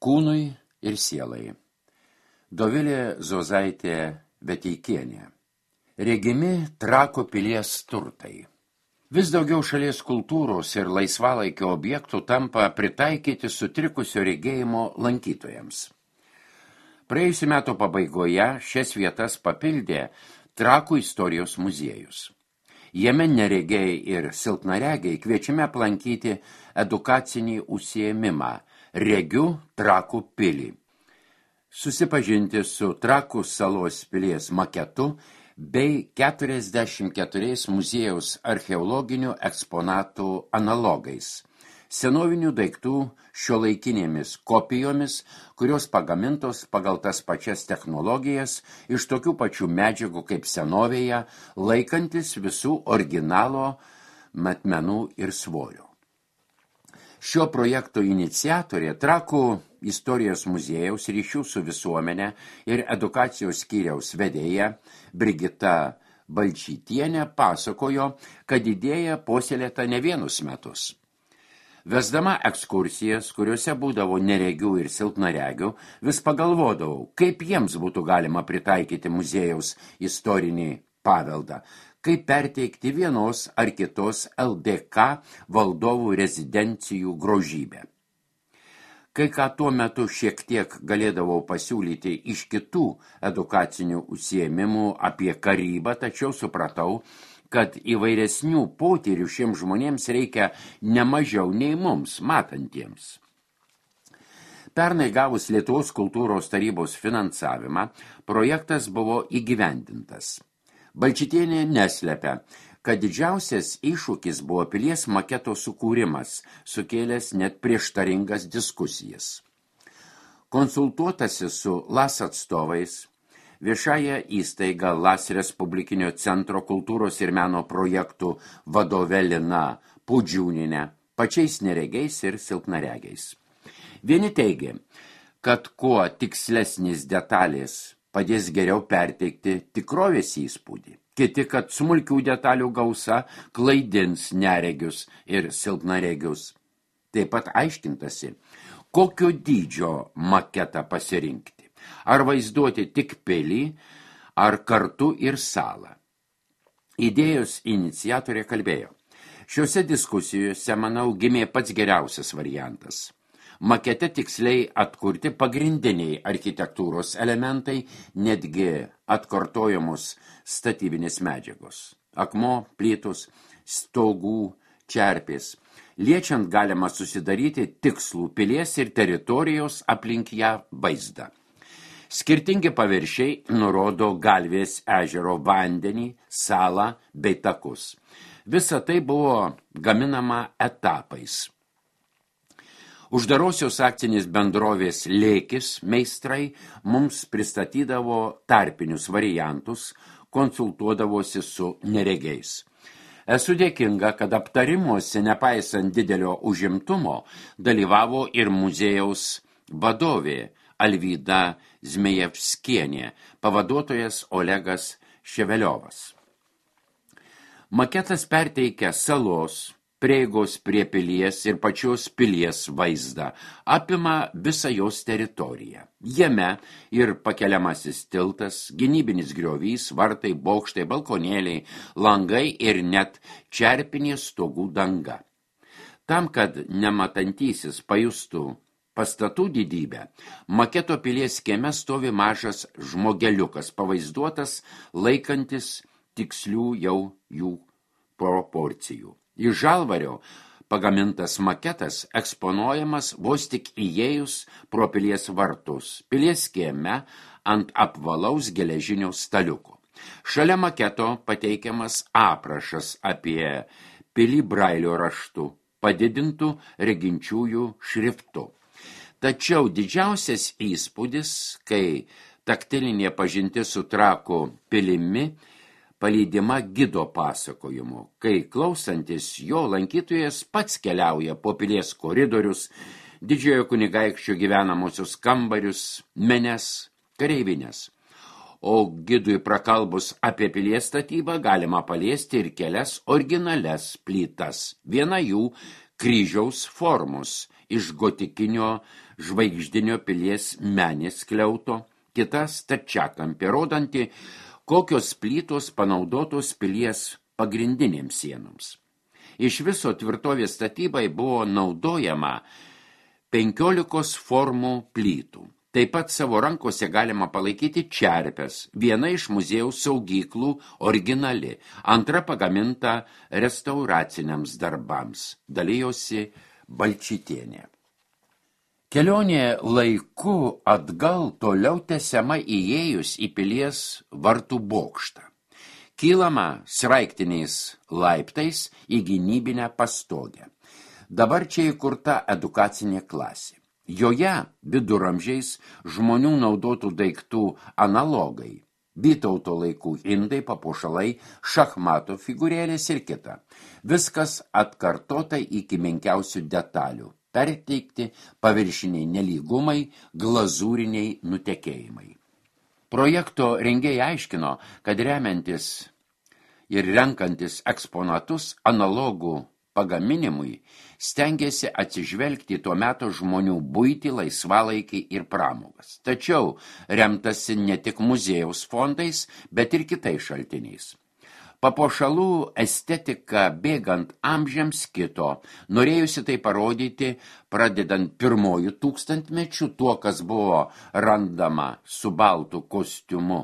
Kūnui ir sielai. Dovilė Zozaitė Veteikienė. Regimi Trakų pilies turtai. Vis daugiau šalies kultūros ir laisvalaikio objektų tampa pritaikyti sutrikusio regėjimo lankytojams. Praėjusių metų pabaigoje šias vietas papildė Trakų istorijos muziejus. Jame neregiai ir silpnaregiai kviečiame aplankyti edukacinį užsiėmimą Regiu Trakų pilį. Susipažinti su Trakų salos pilies maketu bei 44 muziejaus archeologinių eksponatų analogais, senovinių daiktų šiuolaikinėmis kopijomis, kurios pagamintos pagal tas pačias technologijas iš tokių pačių medžiagų kaip senovėje, laikantis visų originalo matmenų ir svorio. Šio projekto iniciatorė Trakų istorijos muziejaus ryšių su visuomenė ir edukacijos skyriaus vedėja Brigita Balčytienė pasakojo, kad idėja puoselėta ne vienus metus. Vesdama ekskursijas, kuriuose būdavo neregių ir silpnaregių, vis pagalvodavau, kaip jiems būtų galima pritaikyti muziejaus istorinį paveldą, kaip perteikti vienos ar kitos LDK valdovų rezidencijų grožybę. Kai ką tuo metu šiek tiek galėdavau pasiūlyti iš kitų edukacinių užsiėmimų apie karybą, tačiau supratau, kad įvairesnių potyrių šiems žmonėms reikia ne mažiau nei mums, matantiems. Pernai gavus Lietuvos kultūros tarybos finansavimą, projektas buvo įgyvendintas. Balčytienė neslepia, kad didžiausias iššūkis buvo pilies maketo sukūrimas, sukėlęs net prieštaringas diskusijas. Konsultuotasi su LAS atstovais, viešąją įstaigą LAS Respublikinio centro kultūros ir meno projektų vadove Lina Pudžiūninė, pačiais neregiais ir silpnaregiais. Vieni teigė, kad kuo tikslesnis detalės padės geriau perteikti tikrovės įspūdį. Kiti, kad smulkių detalių gausa klaidins neregius ir silpnaregius. Taip pat aiškintasi, kokio dydžio maketą pasirinkti. Ar vaizduoti tik pilį, ar kartu ir salą. Idėjos iniciatorė kalbėjo. Šiuose diskusijose, manau, gimė pats geriausias variantas. Makete tiksliai atkurti pagrindiniai architektūros elementai, netgi atkartojamos statybinės medžiagos. Akmuo, plytos, stogų, čerpės. Liečiant galima susidaryti tikslų pilies ir teritorijos aplink ją vaizdą. Skirtingi paviršiai nurodo Galvės ežero vandenį, salą bei takus. Visa tai buvo gaminama etapais. Uždarosios akcinės bendrovės Lėkis meistrai mums pristatydavo tarpinius variantus, konsultuodavosi su neregiais. Esu dėkinga, kad aptarimuose, nepaisant didelio užimtumo, dalyvavo ir muziejaus vadovė Alvyda Zmejevskienė, pavaduotojas Olegas Ševeliovas. Maketas perteikia salos, prieigos prie pilies ir pačios pilies vaizdą, apima visą jos teritoriją. Jame ir pakeliamasis tiltas, gynybinis griovys, vartai, bokštai, balkonėliai, langai ir net čerpinė stogų danga. Tam, kad nematantysis pajustų pastatų didybę, maketo pilies kieme stovi mažas žmogeliukas, pavaizduotas laikantis tikslių jau jų proporcijų. Iš žalvario pagamintas maketas eksponuojamas vos tik įėjus pro pilies vartus, pilies kieme ant apvalaus geležinio staliuko. Šalia maketo pateikiamas aprašas apie pilį brailio raštu, padidintų reginčiųjų šriftu. Tačiau didžiausias įspūdis, kai taktilinė pažintis su Trakų pilimi palydima gido pasakojimu, kai klausantis jo lankytojas pats keliauja po pilies koridorius, didžiojo kunigaikščio gyvenamosius kambarius, menes, kareivinės. O gidui prakalbus apie pilies statybą galima paliesti ir kelias originalias plytas. Viena jų kryžiaus formos iš gotikinio žvaigždinio pilies menės skliauto, kita stačiakampė, rodanti, kokios plytos panaudotos pilies pagrindinėms sienoms. Iš viso tvirtovės statybai buvo naudojama 15 formų plytų. Taip pat savo rankose galima palaikyti čerpes, viena iš muziejaus saugyklų originali, antra pagaminta restauraciniams darbams, dalijosi Balčytienė. Kelionė laiku atgal toliau tęsiama įėjus į pilies vartų bokštą. Kylama sraiktiniais laiptais į gynybinę pastogę. Dabar čia įkurta edukacinė klasė. Joje viduramžiais žmonių naudotų daiktų analogai, Vytauto laikų indai, papuošalai, šachmato figūrėlės ir kita. Viskas atkartota iki menkiausių detalių, perteikti paviršiniai nelygumai, glazūriniai nutekėjimai. Projekto rengėjai aiškino, kad remiantis ir renkantis eksponatus analogų pagaminimui stengiasi atsižvelgti tuo metu žmonių buitį, laisvalaikį ir pramogas. Tačiau remtasi ne tik muziejaus fondais, bet ir kitais šaltiniais. Papuošalų estetika bėgant amžiams kito, norėjusi tai parodyti, pradedant pirmojų tūkstantmečių, tuo, kas buvo randama su baltu kostiumu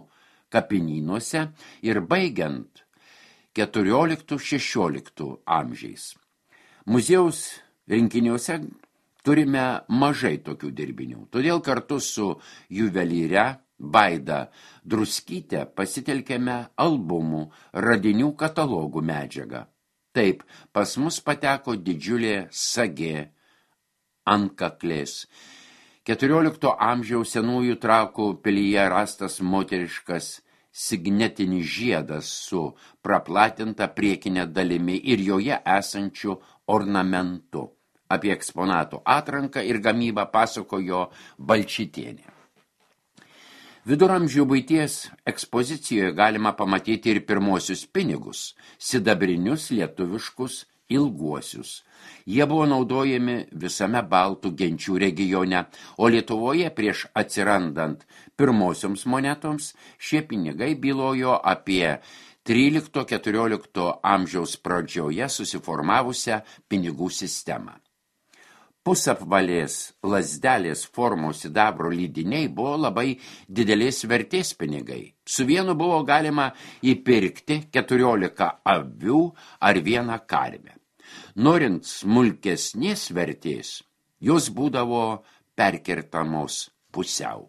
kapinynuose ir baigiant 14–16 amžiais. Muziejaus rinkiniuose turime mažai tokių dirbinių, todėl kartu su juvelyre Vaida Druskyte pasitelkėme albumų, radinių katalogų medžiagą. Taip, pas mus pateko didžiulė sagė ant kaklės. 14 amžiaus senųjų Trakų pilyje rastas moteriškas signetinis žiedas su praplatinta priekinė dalimi ir joje esančiu ornamentu. Apie eksponatų atranką ir gamybą pasakojo Balčytienė. Viduramžių buities ekspozicijoje galima pamatyti ir pirmosius pinigus, sidabrinius lietuviškus ilguosius. Jie buvo naudojami visame baltų genčių regione, o Lietuvoje prieš atsirandant pirmosioms monetoms šie pinigai bylojo apie 13–14 amžiaus pradžioje susiformavusią pinigų sistemą. Pusapvalės lazdelės formos sidabro lydiniai buvo labai didelės vertės pinigai. Su vienu buvo galima įpirkti 14 avių ar 1 karvę. Norint smulkesnės vertės, jos būdavo perkertamos pusiau.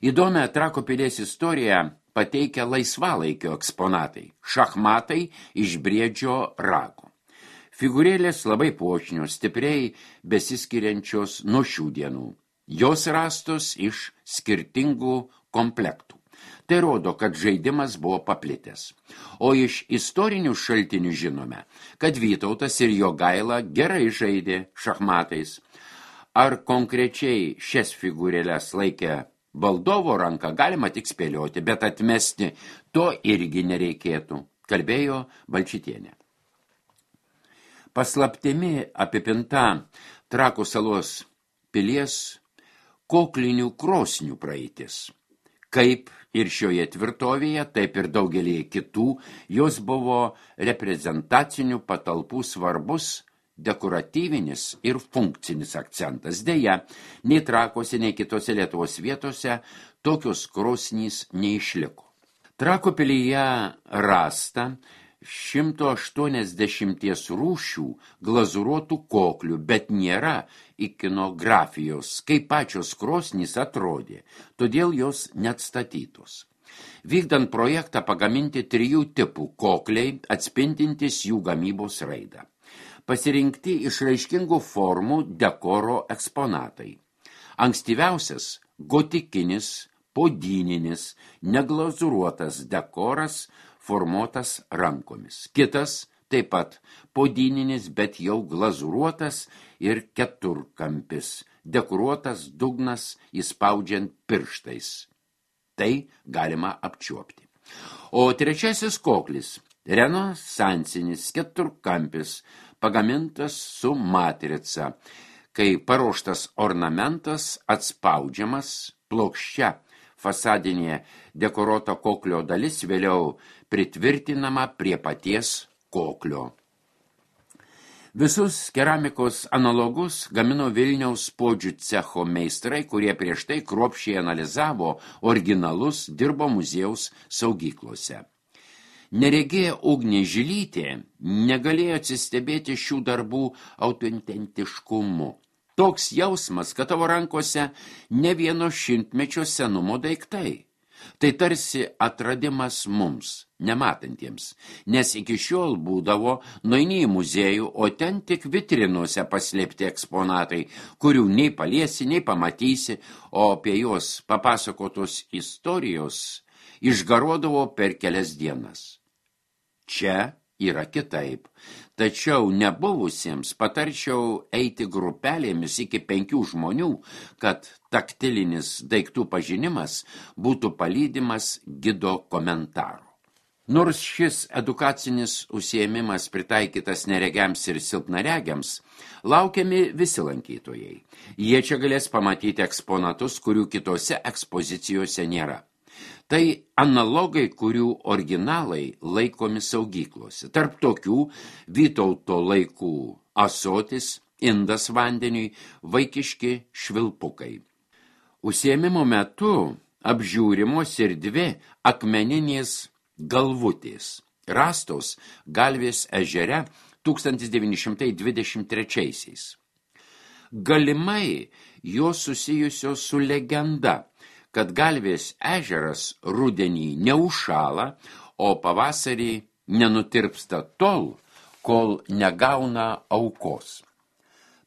Įdomią Trakų pilies istoriją pateikia laisvalaikio eksponatai, šachmatai iš briedžio rago. Figūrėlės labai puošnios, stipriai besiskiriančios nuo šių dienų. Jos rastos iš skirtingų komplektų. Tai rodo, kad žaidimas buvo paplitęs. O iš istorinių šaltinių žinome, kad Vytautas ir Jogaila gerai žaidė šachmatais. Ar konkrečiai šias figūrėlės laikė valdovo ranką galima tik spėlioti, bet atmesti to irgi nereikėtų, kalbėjo Balčytienė. Paslaptimi apipinta Trakų salos pilies koklinių krosnių praeitis. Kaip ir šioje tvirtovėje, taip ir daugelį kitų, jos buvo reprezentacinių patalpų svarbus dekoratyvinis ir funkcinis akcentas. Deja, nei Trakuose, nei kitose Lietuvos vietose tokios krosnys neišliko. Trakų pilyje rasta 180 rūšių glazūruotų koklių, bet nėra ikonografijos, kaip pačios krosnys atrodė, todėl jos neatstatytos. Vykdant projektą pagaminti 3 tipų kokliai, atspindintys jų gamybos raidą. Pasirinkti išraiškingų formų dekoro eksponatai. Ankstyviausias gotikinis, podyninis, neglazūruotas dekoras formuotas rankomis. Kitas taip pat podyninis, bet jau glazūruotas ir keturkampis, dekoruotas dugnas įspaudžiant pirštais. Tai galima apčiuopti. O trečiasis koklis, renesansinis keturkampis, pagamintas su matrica, kai paruoštas ornamentas atspaudžiamas plokščia fasadinė dekoruota koklio dalis vėliau pritvirtinama prie paties koklio. Visus keramikos analogus gamino Vilniaus puodžių cecho meistrai, kurie prieš tai kruopščiai analizavo originalus, dirbo muziejaus saugyklose. Neregėję Ugnė Žilytė negalėjo atsistebėti šių darbų autentiškumu. Toks jausmas, kad tavo rankose ne vieno šimtmečio senumo daiktai. Tai tarsi atradimas mums, nematantiems, nes iki šiol būdavo nueini į muziejų, o ten tik vitrinuose paslėpti eksponatai, kurių nei paliesi, nei pamatysi, o apie juos papasakotos istorijos išgaruodavo per kelias dienas. Čia yra kitaip, tačiau nebuvusiems patarčiau eiti grupelėmis iki 5 žmonių, kad taktilinis daiktų pažinimas būtų palydimas gido komentaru. Nors šis edukacinis užsiėmimas pritaikytas neregiams ir silpnaregiams, laukiami visi lankytojai. Jie čia galės pamatyti eksponatus, kurių kitose ekspozicijose nėra. Tai analogai, kurių originalai laikomi saugyklose. Tarp tokių Vytauto laikų ąsotis, indas vandeniui, vaikiški švilpukai. Užsiėmimo metu apžiūrimos ir 2 akmeninės galvutės, rastos Galvės ežere 1923-aisiais. Galimai jos susijusios su legenda, kad Galvės ežeras rudenį neužšąla, o pavasarį nenutirpsta tol, kol negauna aukos.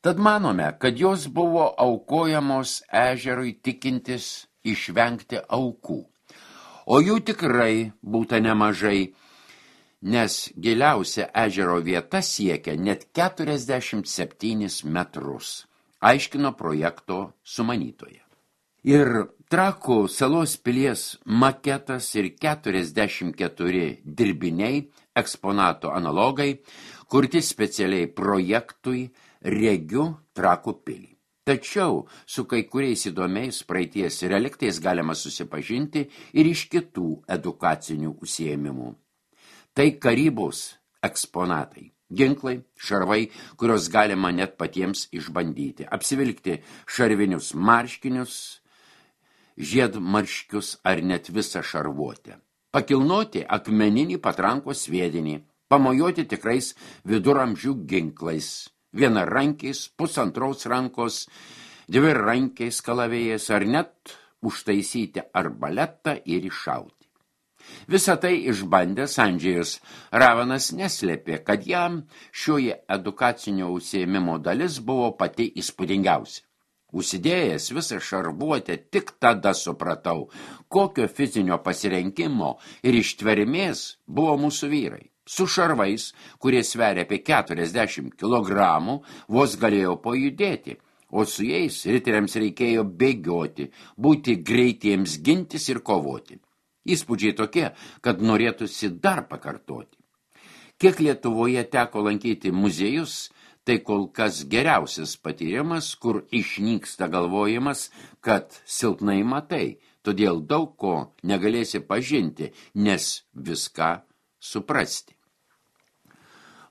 Tad manome, kad jos buvo aukojamos ežerui tikintis išvengti aukų. O jų tikrai būta nemažai, nes giliausia ežero vieta siekia net 47 metrus, aiškino projekto sumanytoja. Ir Trakų salos pilies maketas ir 44 dirbiniai, eksponato analogai, kurti specialiai projektui Regiu Trakų pilį. Tačiau su kai kuriais įdomiais praeities reliktais galima susipažinti ir iš kitų edukacinių užsiėmimų. Tai karybos eksponatai. Ginklai, šarvai, kurios galima net patiems išbandyti. Apsivilkti šarvinius marškinius, žiedmarškius ar net visą šarvuotę. Pakilnoti akmeninį patrankos sviedinį, pamojuoti tikrais viduramžių ginklais, vienarankiais, pusantros rankos, 2 rankiais kalavėjais ar net užtaisyti arbaletą ir iššauti. Visą tai išbandęs Andžejus Ravanas neslėpė, kad jam šioje edukacinio užsiėmimo dalis buvo pati įspūdingiausia. Užsidėjęs visą šarvuotę, tik tada supratau, kokio fizinio pasirenkimo ir ištvermės buvo mūsų vyrai. Su šarvais, kurie sveria apie 40 kilogramų, vos galėjo pajudėti, o su jais riteriams reikėjo bėgioti, būti greitiems gintis ir kovoti. Įspūdžiai tokie, kad norėtųsi dar pakartoti. Kiek Lietuvoje teko lankyti muziejus, tai kol kas geriausias patyrimas, kur išnyksta galvojimas, kad silpnai matai, todėl daug ko negalėsi pažinti, nes viską suprasti.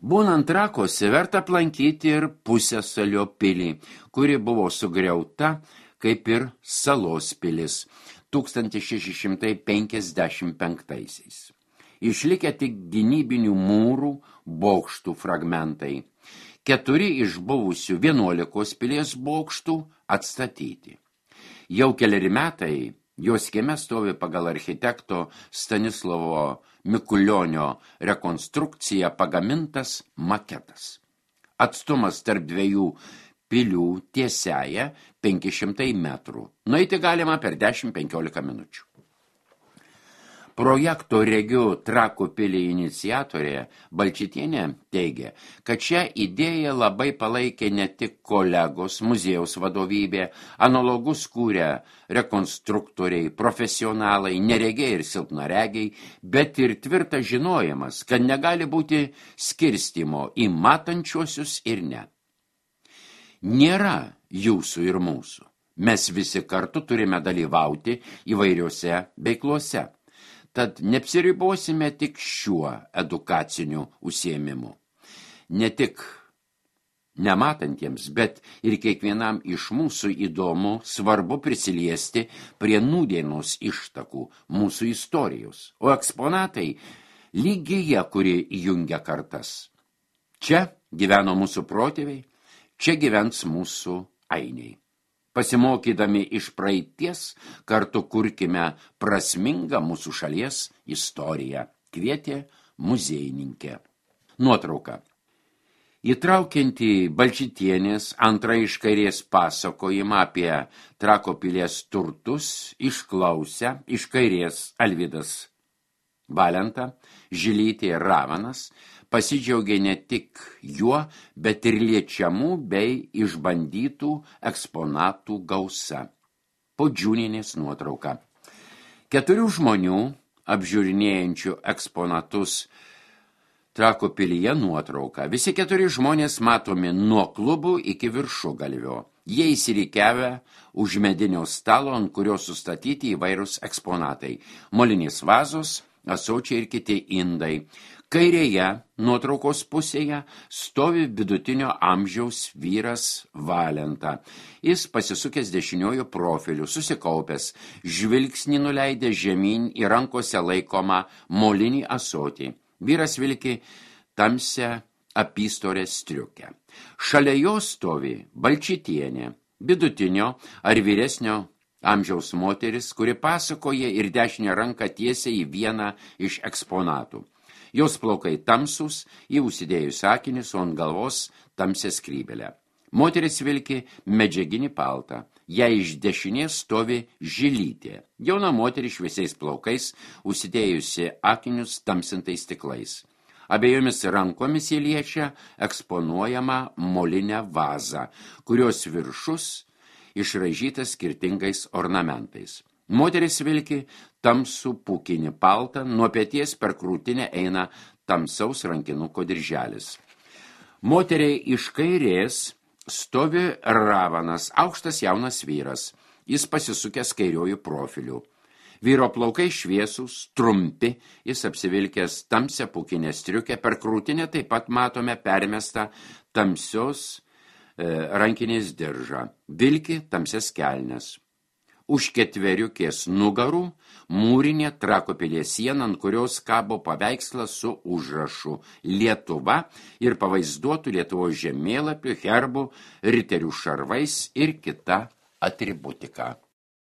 Būnant Trakuose verta aplankyti ir Pusiasalio pilį, kuri buvo sugriauta, kaip ir Salos pilis 1655-aisiais. Išlikę tik gynybinių mūrų, bokštų fragmentai. 4 iš buvusių 11 pilies bokštų atstatyti. Jau keleri metai jos kieme stovi pagal architekto Stanislovo Mikulionio rekonstrukciją pagamintas maketas. Atstumas tarp 2 pilių tiesiaja 500 metrų. Nueiti galima per 10-15 minučių. Projekto Regiu Trakų pilį iniciatorė Balčytienė teigia, kad šią idėją labai palaikė ne tik kolegos, muziejaus vadovybė, analogus kūrė rekonstruktoriai, profesionalai, neregiai ir silpnaregiai, bet ir tvirtas žinojimas, kad negali būti skirstymo į matančiuosius ir ne. Nėra jūsų ir mūsų. Mes visi kartu turime dalyvauti įvairiose veiklose. Tad neapsiribosime tik šiuo edukaciniu užsiėmimu. Ne tik nematantiems, bet ir kiekvienam iš mūsų įdomu, svarbu prisiliesti prie nūdienos ištakų mūsų istorijos, o eksponatai lygiai, kuri jungia kartas. Čia gyveno mūsų protėviai, čia gyvens mūsų ainiai. Pasimokydami iš praeities, kartu kurkime prasmingą mūsų šalies istoriją, kvietė muziejininkė. Nuotrauka. Įtraukianti Balčytienės antrą iš kairės pasakojimą apie Trakų pilies turtus išklausę iš kairės Alvydas Valenta, Žilytė ir Ravanas, pasidžiaugė ne tik juo, bet ir liečiamų bei išbandytų eksponatų gausa. Podžiūnienės nuotrauka. 4 žmonių, apžiūrinėjančių eksponatus Trakų pilyje nuotrauka. Visi 4 žmonės matomi nuo klubų iki viršugalvio. Jie įsirikiavę už medinio stalo, ant kurio sustatyti įvairūs eksponatai. Molinės vazos, ąsočiai ir kiti indai. Kairėje nuotraukos pusėje stovi vidutinio amžiaus vyras Valenta. Jis pasisukęs dešiniuoju profiliu, susikaupęs, žvilgsnį nuleidę žemyn į rankose laikomą molinį ąsotį. Vyras vilki tamsią apystorę striukę. Šalia jo stovi Balčytienė, vidutinio ar vyresnio amžiaus moteris, kuri pasakoja ir dešinę ranką tiesia į vieną iš eksponatų. Jos plaukai tamsus, jį užsidėjus akinius, o ant galvos tamsią skrybelę. Moteris vilki medžiaginį paltą. Jai iš dešinės stovi Žilytė. Jauna moteris šviesiais plaukais, užsidėjusi akinius tamsintais stiklais. Abiejomis rankomis jį liečia eksponuojama molinę vazą, kurios viršus išraižytas skirtingais ornamentais. Moteris vilki tamsų pūkinį paltą, nuo peties per krūtinę eina tamsaus rankinuko dirželis. Moteriai iš kairės stovi Ravanas, aukštas jaunas vyras. Jis pasisukęs kairiojų profiliu. Vyro plaukai šviesūs, trumpi, jis apsivilkęs tamsią pūkinę striukę, per krūtinę taip pat matome permestą tamsios rankinės diržą. Vilki tamsias kelnes. Už 4 nugarų mūrinė Trakų pilies siena, ant kurios kabo paveikslas su užrašu Lietuva ir pavaizduotų Lietuvos žemėlapių, herbų, riterių šarvais ir kita atributika.